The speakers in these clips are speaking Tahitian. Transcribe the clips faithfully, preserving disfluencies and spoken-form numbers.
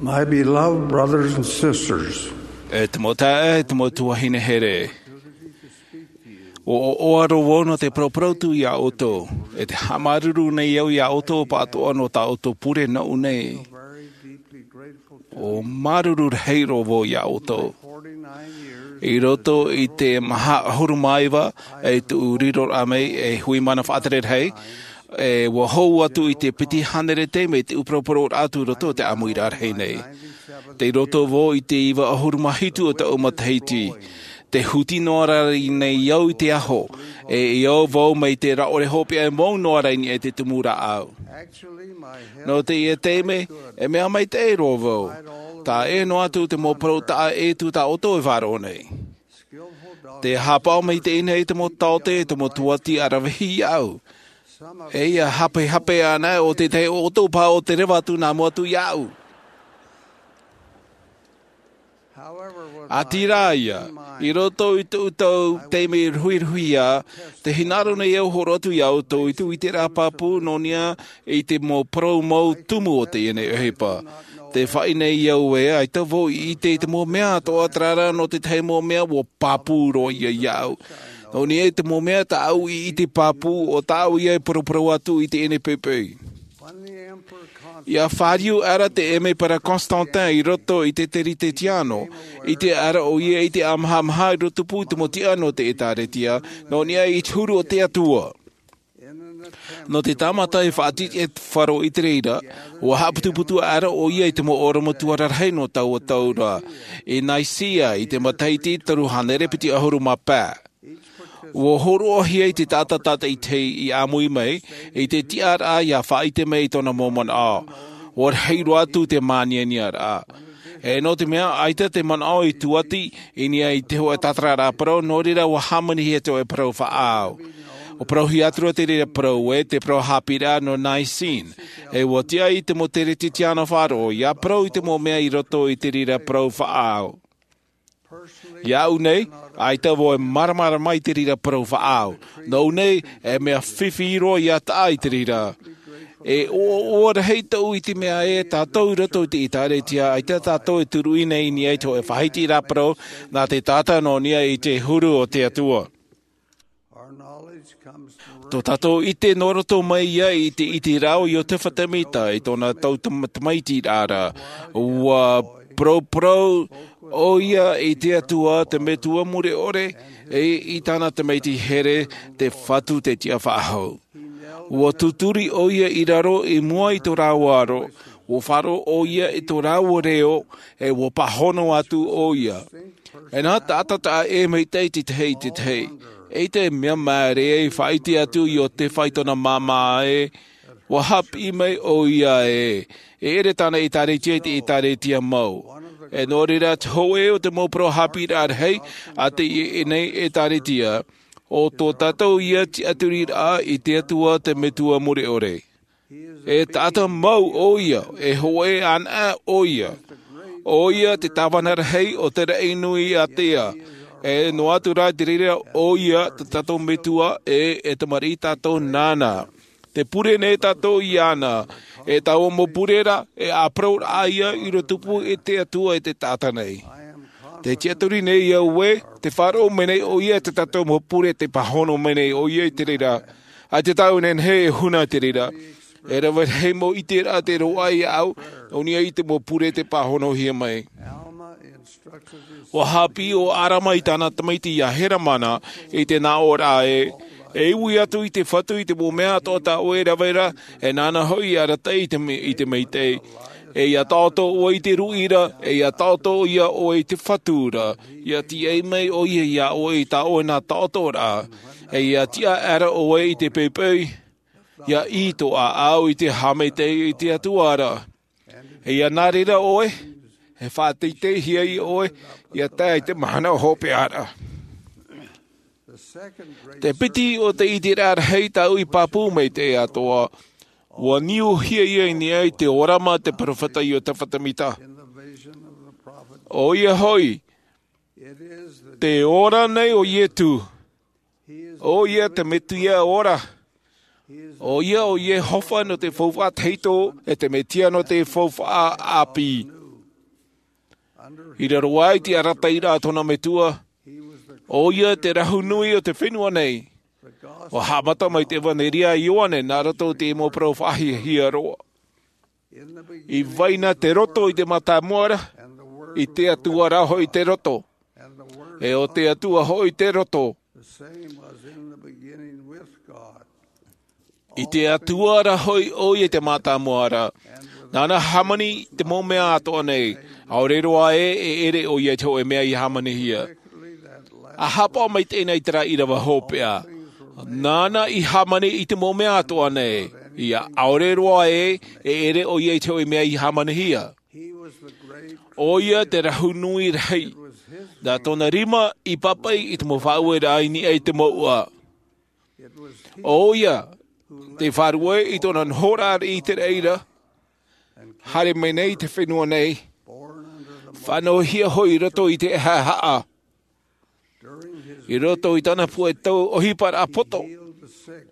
My beloved brothers and sisters, E te mau taeaʻe, e te mau tuahine here. ʻUa ʻoaʻoa roa vau nō te paraparau atu iā ʻoutou, e te haʻamāuruuru nei au iā ʻoutou pāʻatoʻa nō tā ʻoutou pure nōʻu nei. ʻUa māuruuru rahi roa vau iā ʻoutou. I roto i te maha ʻahuru mā iva, e tuʻu riroraʻa mai, e hui mana faʻatere rahi, e ʻua hou atu i te piti hānere taime te ʻū paraparau atu i roto i te ʻāmuiraʻa rahi nei. Tei roto vau i te iva ʻahuru mā hitu o taʻu matahiti. Tē huti noa ra nei au i te aho, e i au vau mai te rāʻore hopeʻa e mau noa ra i niʻa i te tumu rāʻau. Nō teie taime, e mea maitaʻi roa vau. Taʻa ʻē noa atu te mau parau taʻa ʻē atu tā ʻoutou e faʻaroʻo nei. Tē haʻapaʻo maitaʻi nei te mau taote, te mau tūʻati ʻaravihi iāʻu. E ʻia hapehape ana ʻo te tahi o ʻoutou paha o te reva atu nā mua atu iāʻu. ʻĀtīrā ïa, i roto i tōʻu taime ruhiruhia, tē hinaʻaro nei au e hōroʻa atu iā ʻoutou i te ʻiteraʻa pāpū nō niʻa i te mau parau mau tumu o teie nei ʻohipa. Tē faʻaʻī nei au ē, ʻaita vau i ʻite i te mau mea atoʻa terā rā nō te tahi mau mea ʻua pāpū roa ïa iāʻu. Nō niʻa i te mau mea tāʻu i ʻite pāpū, ʻo tāʻu ïa e paraparau atu i teie nei poʻipoʻi. ʻIa fāriu aʻera te ʻēmepera Constantin i roto i te Teretetiano, ʻite aʻera ʻoia i te ʻāmahamaha i roto pū i te mau tiʻa nō te ʻĒtārētia, nō niʻa i te huru o te Atua. Nō te tāmata e faʻatiʻa e te faro i te reira, ʻua haʻaputuputu aʻera ʻoia i te mau ʻorometua rarahi nō taua tau ra, i Nicaea, i te matahiti toru hānere piti ʻahuru mā pae. ʻUa hōroʻahia i te taʻata tātaʻitahi i ʻāmui mai, i te tiʻaraʻa ʻia faʻaʻite mai i tōna mau manaʻo. ʻUa rahi roa atu te mānianiaraʻa. E nō te mea, ʻaita te manaʻo i tūʻati i niʻa i te hōʻē tātararaʻa parau, nō reira ʻua hāmanihia te hōʻē parau faʻaau. ʻUa parauhia atu ra te reira parau ē, te parau haʻapiʻiraʻa nō Nicene. E ʻua tiʻa i te mau Teretetiano faʻaroʻo, ʻia parau i te mau mea i roto i te reira parau faʻaau. Iāʻu nei, ʻaita vau e māramarama i te reira parau faʻaau. Nōʻu nei, e mea fifi roa ʻia taʻa i te reira. E ʻoaʻoa rahi tōʻu i te mea ē, tātou i roto i te ʻĒtārētia, ʻaita tātou e turuʻi nei i niʻa i te hōʻē faʻahitiraʻa parau, nā te taʻata nō niʻa i te huru o te Atua. Tō tātou ʻite nō roto mai ïa i te ʻiteraʻa o Iotefa Temita i tōna tau tam-, tamaiti ra. ʻUa paraparau ʻoia i te Atua te Metua mure ʻore, e i tāna tamaiti here te Fatu te Tiʻa Faʻahou. ʻUa tūturi ʻoia i raro i mua i tō rāua aro, ʻua faʻaroʻo ʻoia i tō rāua reo, e ʻua pāhono atu ʻoia. E nā taʻata taʻa ʻē maitaʻi te tahi i te tahi. ʻEita e mea māere ai e faʻaʻite atu Iotefa i tōna māmā ē, ʻua haʻapiʻi mai ʻoia ē, e ʻere tāna ʻĒtārētia i te ʻĒtārētia mau. E nō reira te hōʻē o te mau parau haʻapiʻiraʻa rahi, a teie nei ʻĒtārētia, ʻo tō tātou ïa tiʻaturiraʻa i te Atua te Metua mure ʻore. E taʻata mau ʻoia, e hōʻē anaʻe ʻoia. ʻOia te tāvana rahi o te raʻi nui ātea. E noa atu rā i te reira ʻoia te tātou Metua, e, e tamariʻi tātou nāna. Tē pure nei tātou iāna, e taua mau pure ra, e ʻāparauraʻa ïa i rotopū e te Atua e te taʻata nei. Tē tiʻaturi nei au ē, tē faʻaroʻo mai nei ʻoia i tā tātou mau pure, tē pāhono mai nei ʻoia i te reira. ʻAita tāʻu e nehenehe e huna i te reira. E rave rahi mau ʻiteraʻa tei roaʻa iāʻu, nō niʻa i te mau pure tei pāhonohia mai. ʻUa haʻapiʻi ʻo Alama i tāna tamaiti ia Helamana, i te nāʻōraʻa ē, e ui atu i te Fatu i te mau mea atoʻa tā ʻoe e rave ra, e nāna hoʻi e arataʻi i te me-, i te maitaʻi. E ia taʻoto ʻoe i te ruʻi ra, e ia taʻoto ïa ʻoe i te Fatu ra, ia tīaʻi mai ʻoia iā ʻoe i tā ʻoe nā taʻotoraʻa, e ia tiʻa aʻera ʻoe i te poʻipoʻi, ia ʻī tō ʻāʻau i te haʻamaitaʻi i te Atua ra. E ia nā reira ʻoe, e faʻateiteihia ʻoe, ia tae i te mahana hopeʻa ra. Te piti o te ʻiteraʻa rahi tāʻu i pāpū maitaʻi atoʻa, ʻua niuhia ïa i niʻa i te ʻōrama te peropheta Iotefa Temita. ʻOia hoʻi, tē ora nei ʻo Ietu. ʻOia te Mesia ora. ʻOia ʻo Iehova nō te faufaʻa tahito, e te Mesia nō te faufaʻa ʻāpī. I raro aʻe i te arataʻiraʻa a tōna metua, ʻoia te rahu nui o te fenua nei. ʻUa haʻamata mai te ʻevanelia a Ioane nā roto i te mau parau faʻahiahia roa. I vai na te roto i te mātāmua ra, ʻo te Atua rā hoʻi te roto, ʻe ʻo te Atua hoʻi te roto. I te Atua rā hoʻi ʻoia i te mātāmua ra. Nāna i hāmani i te mau mea atoʻa nei. ʻAore roa ē, e ʻere ʻoia i te hōʻē mea i hāmanihia. ʻA haʻapaʻo mai teie nei i terā ʻīrava hopeʻa. Nāna i hāmani i te mau mea atoʻa nei. ʻIa ʻaore roa ē, e ʻere ʻoia i te hōʻē mea i hāmanihia. ʻOia te rahu nui rahi. Nā tōna rima i pāpaʻi i te mau faʻaueraʻa i niʻa i te mouʻa. ʻOia te faʻaruʻe i tōna nohoraʻa i te reira. Haere mai nei i te fenua nei. Faʻanahohia hoʻi i roto i te haʻahaʻa. I roto i tāna puʻe tau ʻohiparaʻa poto,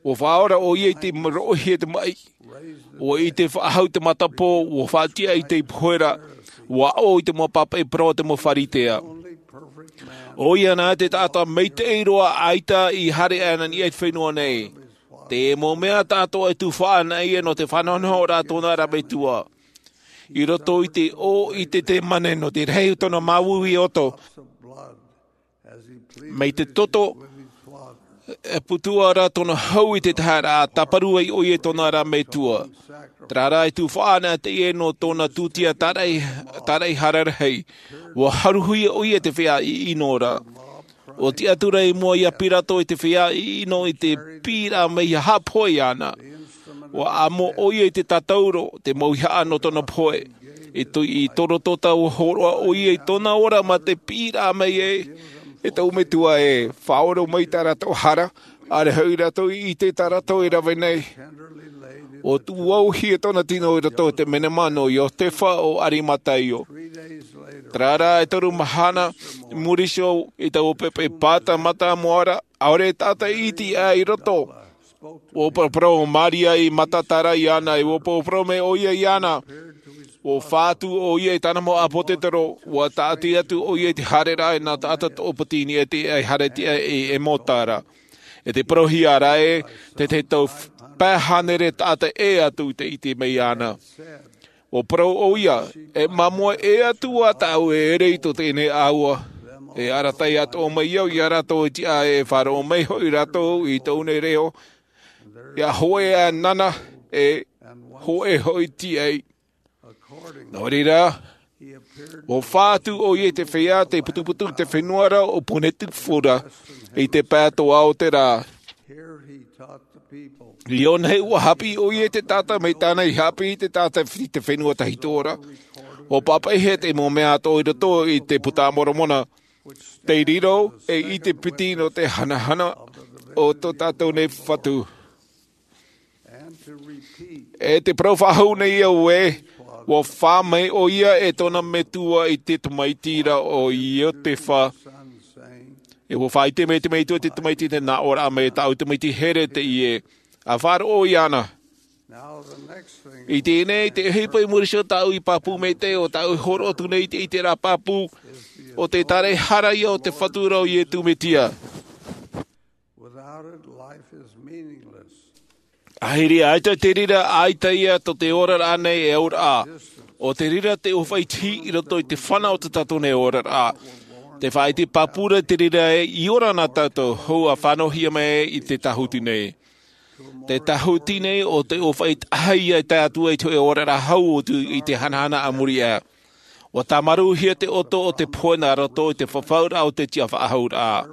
ʻua faʻaora ʻoia i te roʻohia te maʻi. ʻUa ʻite faʻahou te matapō, ʻua faʻatiʻa i te pohe ra, ʻua aʻo i te mau pāpaʻi parau a te mau Pharisea. ʻOia nā te taʻata maitaʻi roa ʻaita i haere aʻe i niʻa i te fenua nei. Te mau mea atoʻa e tufaʻa ana ïa nō te faʻanahonahoraʻa a tōna ra metua. I roto i te ʻō i te Tetemane nō te rahi o tōna māuiui ʻoto. Mai te toto, e putu ra tōna hau i te tahi ra, tāparu ai ʻoia i tōna ra metua. Terā rā e tufaʻa ana teie nō tōna tūtia tāraʻi, tāraʻi hara rahi. ʻUa haruhia ʻoia i te feiā ʻiʻino ra. ʻUa tiʻaturi i mua ia Pirato i te feiā ʻiʻino i te piʻiraʻa mai ʻia haʻapohe iāna. ʻUa amo ʻoia i te tātauro, te mauhaʻa nō tōna pohe. I tō, i tō roto tā ʻua hōroʻa ʻoia i tōna ora mā te piʻiraʻa mai ē, e tōʻu metua ē, faʻaora mai tā rātou hara, ʻaore hoʻi rātou i ʻite tā rātou e rave nei. ʻUa tūʻauhia tōna tino i roto i te menema nō Iotefa o Arimataio. Terā rā e toru mahana i muri iho i taua poʻipoʻi pāta mātāmua ra, ʻaore taʻata iti aʻe i roto. ʻUa paraparau ʻo Maria i Magadala iāna, ʻe ʻua paraparau mai ʻoia iāna. ʻUa fātū ʻoia i tāna mau ʻāpōsetolo, ʻua tāʻati atu ʻoia i te haereraʻa nā taʻata toʻopiti i niʻa i te haere tiʻa i Emauta ra. E te parauhia ra ē, te, te tau pae hānere taʻata ʻē atu i te iti mai iāna. ʻUa parau ʻoia, e māmoe ʻē atu ā tāʻu e ʻere i tō teie nei ʻāua. E arataʻi atoʻa mai au ia rātou i te ʻā e faʻaroʻo mai hoʻi rātou i tōʻu nei reo. ʻIa hōʻē ā nāna, e hōʻē hoʻi tiʻa. Nō reira, ʻua fātū ʻoia i te feiā, te putuputu i te fenua ra ʻo Ponetifu ra, i te pae atoʻa o te rā. I ʻō nei ʻua haʻapiʻi ʻoia i te taʻata mai tāna i haʻapiʻi i te taʻata i te fenua tahito ra. ʻUa pāpaʻihia te mau mea atoʻa i roto i te Buka a Moromona. Tei riro, ʻe i te piti nō te hanahana o tō tātou nei Fatu. E te parau faʻahou nei au ē, ʻua fā mai ʻoia e tōna metua i te tamaiti ra ʻo Iotefa. ʻE ʻua faʻaʻite mai te metua i te tamaiti te nā ʻō ra mai tāʻu tamaiti here teie. ʻA faʻaroʻo iāna. I teie nei, te ʻohipa i muri iho tāʻu i pāpū maitaʻi ʻo tāʻu i hōroʻa atu nei i te, i terā pāpū, ʻo te tāraʻehara ïa o te Fatu ra ʻo Iesu Mesia. Without it, life is meaningless. ʻAhiri ʻaita te reira, ʻaita ïa tō te oraraʻa nei e auraʻa. ʻO te reira te ʻōfaʻi tihi i roto i te fana o tō tātou nei oraraʻa. Te faʻaʻite pāpū ra te reira ē, i ora na tātou, hou ʻa faʻanahohia mai i te tāhuti nei. Te tāhuti nei ʻo te ʻōfaʻi tahi ïa e tae atu ai i te hōʻē oraraʻa hau atu i te hanahana a muri aʻe. ʻUa tāmarūhia te ʻoto o te pohe nā roto i te fafauraʻa o te tiʻafaʻahouraʻa.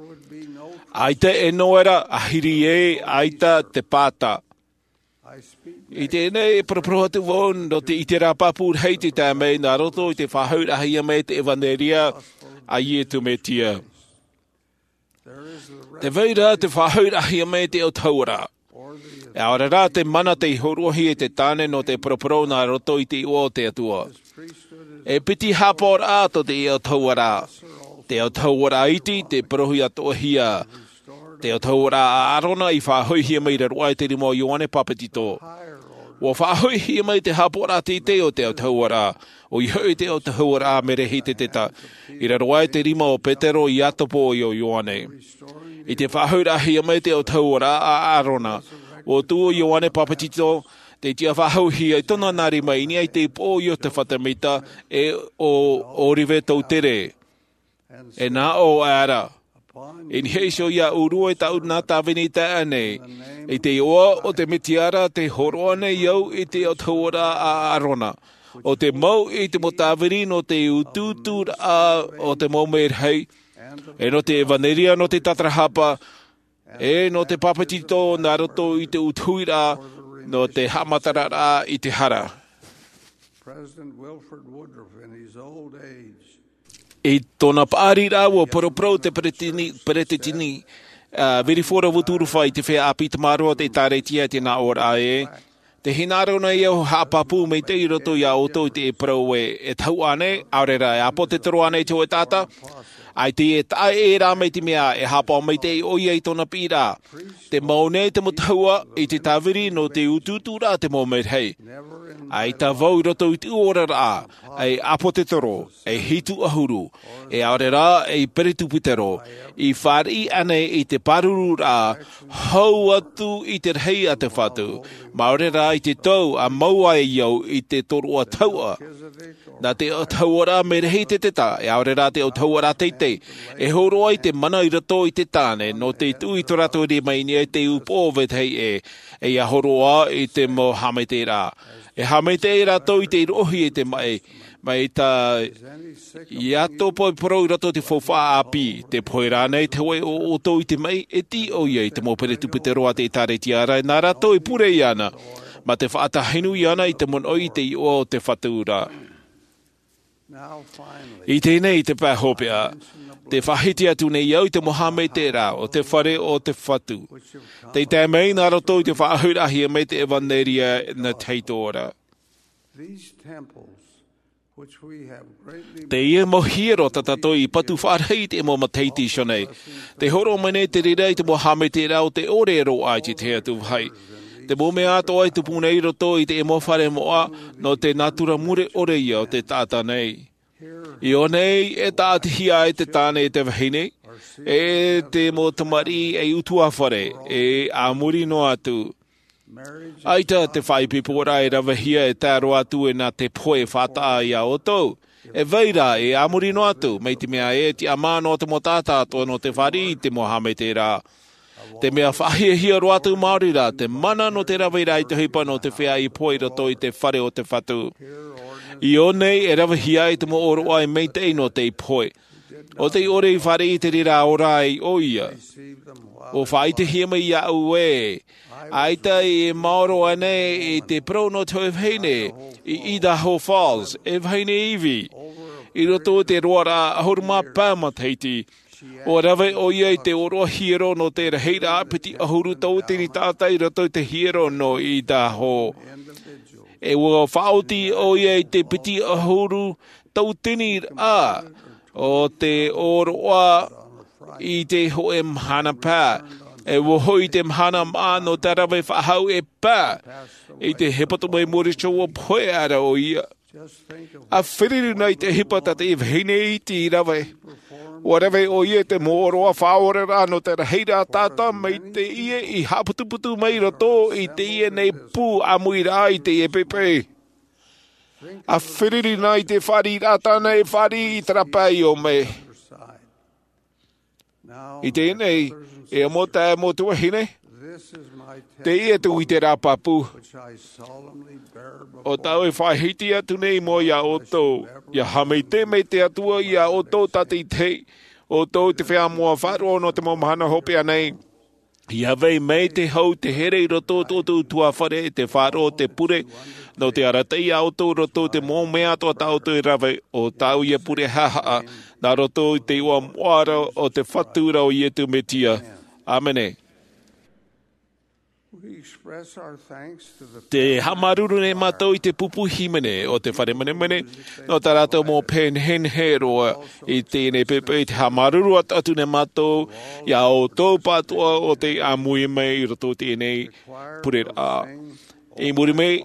ʻAita e noera, ʻahiri ē, ʻaita te pāta. I teie nei e paraparau atu vau nō te, i terā pāpū rahi tei tae mai nā roto i te faʻahouraʻahia mai te ʻevanelia a Iesu Mesia. Tē vai ra te faʻahouraʻahia mai te autahuʻaraʻa. ʻAore rā te mana tei hōroʻahia e te tāne nō te paraparau nā roto i te iʻoa o te Atua. E piti haʻapaʻoraʻa tō te autahuʻaraʻa. Te autahuʻaraʻa iti, tē parauhia atoʻahia. Te autahuʻaraʻa a ʻĀrona i faʻahoʻihia mai i raro aʻe i te rima o Ioane Papetito. Ua faʻahoʻihia mai te hāpoʻoraʻa teitei o te autahuʻaraʻa, ʻoia hoʻi te autahuʻaraʻa Merehiteseteta, i raro aʻe i te rima o Petero, Iakobo, ʻe ʻo Ioane. I te faʻahoʻiraʻahia mai te autahuʻaraʻa a ʻĀrona, ua tuʻu ʻo Ioane Papetito, tei tiʻa faʻahouhia i tōna nā rima i niʻa i te upoʻo o Iosepha Semita, ʻe ʻo Olive Southerland. E nā ʻō aʻera, i niʻa iho iāʻu e tāʻu nā tāvini taeaʻe nei, i te iʻoa o te Mesia ra tē hōroʻa nei au i te autahuʻaraʻa a ʻĀrona, ʻo tē mau i te mau tāvini nō te utuuturaʻa o te mau merahi, ʻe nō te ʻevanelia nō te tātarahapa, ʻe nō te papetito nā roto i te utuhiraʻa nō te haʻamataraʻa i te hara. President Wilford Woodruff, in his old age, I tōna paʻari ra, ua poroporo te peretiteni, peretiteni, ā, Wilford Woodruff i te feiā ʻāpī tamaroa o te ʻĒtārētia i te nā ʻōraʻa ē, tē hinaʻaro nei au e haʻapāpū maitaʻi i roto iā ʻoutou i te parau ē, e tahu ānei, ʻaore rā, e ʻāpōsetolo ānei te hōʻē taʻata? ʻAita e taʻa ʻē rā, mai te mea e haʻapaʻo maitaʻi ʻoia i tōna piʻiraʻa. Tē mau nei te mau tahua i te tāvini nō te utuuturaʻa o te mau merahi. ʻAita vau i roto i te oraraʻa, ei ʻāpōsetolo, ei hitu ʻahuru, ʻe ʻaore rā, ei peretitupetero, i fāriʻi ānei i te pārururaʻa hau atu i te rahi a te Fatu, māuruuru rā i te tau a mau ai au i te tōroʻa tahuʻa. Nā te autahuʻaraʻa Merehiteseteta, ʻe ʻaore rā te autahuʻaraʻa teitei, e hōroʻa i te mana i roto i te tāne nō te tuʻu i tō rātou rima i niʻa i te upoʻo o vetahi ʻē, ʻe ʻia hōroʻa i te mau haʻamaitaʻiraʻa. E haʻamaitaʻi rātou i te roʻohia i te maʻi, mai tā Iakobo i parau i roto i te faufaʻa ʻāpī, tē pohe rānei te hōʻē o ʻoutou i te maʻi, e tiʻa ʻoia i te mau peretitupetero a te ʻĒtārētia ra, nā rātou e pure iāna, mā te faʻatahi nui iāna i te monoʻi i te iʻoa o te Fatu ra. I teie nei te pae hopeʻa, tē faʻahiti atu nei au i te mau haʻamaitaʻiraʻa o te fare o te Fatu, tei tae mai nā roto i te faʻahoʻiraʻahia mai te ʻevanelia nā te Fatu ra. These temples, which we have greatly Teie mau hiero tā tātou i patu faʻarahi i te mau matahiti i ʻō nei, tē hōroʻa mai nei te reira i te mau haʻamaitaʻiraʻa o te ʻore e roaʻa i te tahi atu vāhi. Te mau mea atoʻa e tupu nei i roto i te mau fare moʻa, nō te nātura mure ʻore ïa o te taʻata nei. I ʻō nei e tāʻatihia ai te tāne e te vahine, e te mau tamariʻi ei ʻutuāfare, ʻe a muri noa atu. ʻAita te faʻaipoiporaʻa e ravehia e tae roa atu e nā te pohe e faʻataʻa iā ʻoutou. E vai ra, ʻe a muri noa atu, mai te mea ē, e tiʻamā noa te mau taʻata atoʻa nō te fāriʻi i te mau haʻamaitaʻiraʻa. Te mea faʻahiahia roa atu maori rā, te mana nō te rave i te ʻohipa nō te feiā i pohe i roto i te fare o te Fatu. I ʻō nei e ravehia ai te mau ʻōroʻa e maitaʻi nō tei pohe. ʻO tei ʻore i fāriʻi i te reira ora ai ʻoia. ʻUa faʻaʻitehia mai iāʻu ē, ʻaita e maoro ānei i te parau nō te hōʻē vahine i Idaho Falls, e vahine ivi, i roto i te roaraʻa ʻahuru mā pae matahiti, ʻua rave ʻoia i te ʻōroʻa hiero nō te rahiraʻa piti ʻahuru tauatini taʻata i roto i te hiero nō Idaho. ʻE ʻua faʻaoti ʻoia i te piti ʻahuru tauatini raʻa o te ʻōroʻa i te hōʻē mahana paʻi. ʻE ʻua hoʻi i te mahana māʻa nō te rave faʻahou e paʻi. I te hepetoma i muri iho ʻua pohe aʻera ʻoia. ʻA feruri na i te ʻohipa tā te vahine iti i rave. ʻUa rave ʻoia i te mau ʻōroʻa faʻaoraraʻa nō te rahiraʻa taʻata mai teie i haʻaputuputu mai i roto i teie nei pū ʻāmuiraʻa i teie poʻipoʻi. ʻA feruri na i te fāriʻiraʻa tāna e fāriʻi i terā pae i ʻō mai. I teie nei, e ʻamo taeaʻe mo te vahine, teie tōʻu ʻite rā pāpū. ʻO tāʻu e faʻahiti atu nei i mua iā ʻoutou, ʻia haʻamaitaʻi mai te Atua iā ʻoutou tātaʻitahi, ʻoutou te feiā moʻa faʻaroʻo nō te mau mahana hopeʻa nei. ʻIa vai mai te hau te here i roto o tō ʻoutou ʻutuāfare, te faʻaroʻo, te pure, nō te arataʻi iā ʻoutou i roto i te mau mea atoʻa tā ʻoutou e rave, ʻo tāʻu ïa pure haʻahaʻa, nā roto i te iʻoa moʻa ra o te Fatu ra ʻo Iesu Mesia. ʻĀmene. We express our thanks to the Te haʻamāuruuru nei mātou i te pupu hīmene o te fare menemene, nō tā rātou mau pehe nehenehe roa i teie nei poʻipoʻi. Te haʻamāuruuru atu nei mātou iā ʻoutou pāʻatoʻa o tei ʻāmui mai i roto i teie nei pureraʻa. I muri mai,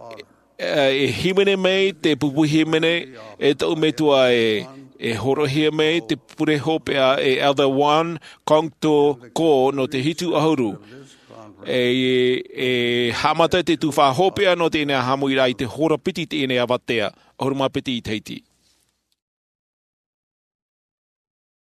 e hīmene mai te pupu hīmene e tōʻu metua, e horoʻahia mai te pure hopeʻa e Elder Juan Congto Ko nō te hitu ʻahuru. E haʻamata te tuhaʻa hopeʻa nō teie nei haʻamoʻaraʻa i te hora piti i teie nei avatea, ʻahuru mā piti i tahiti.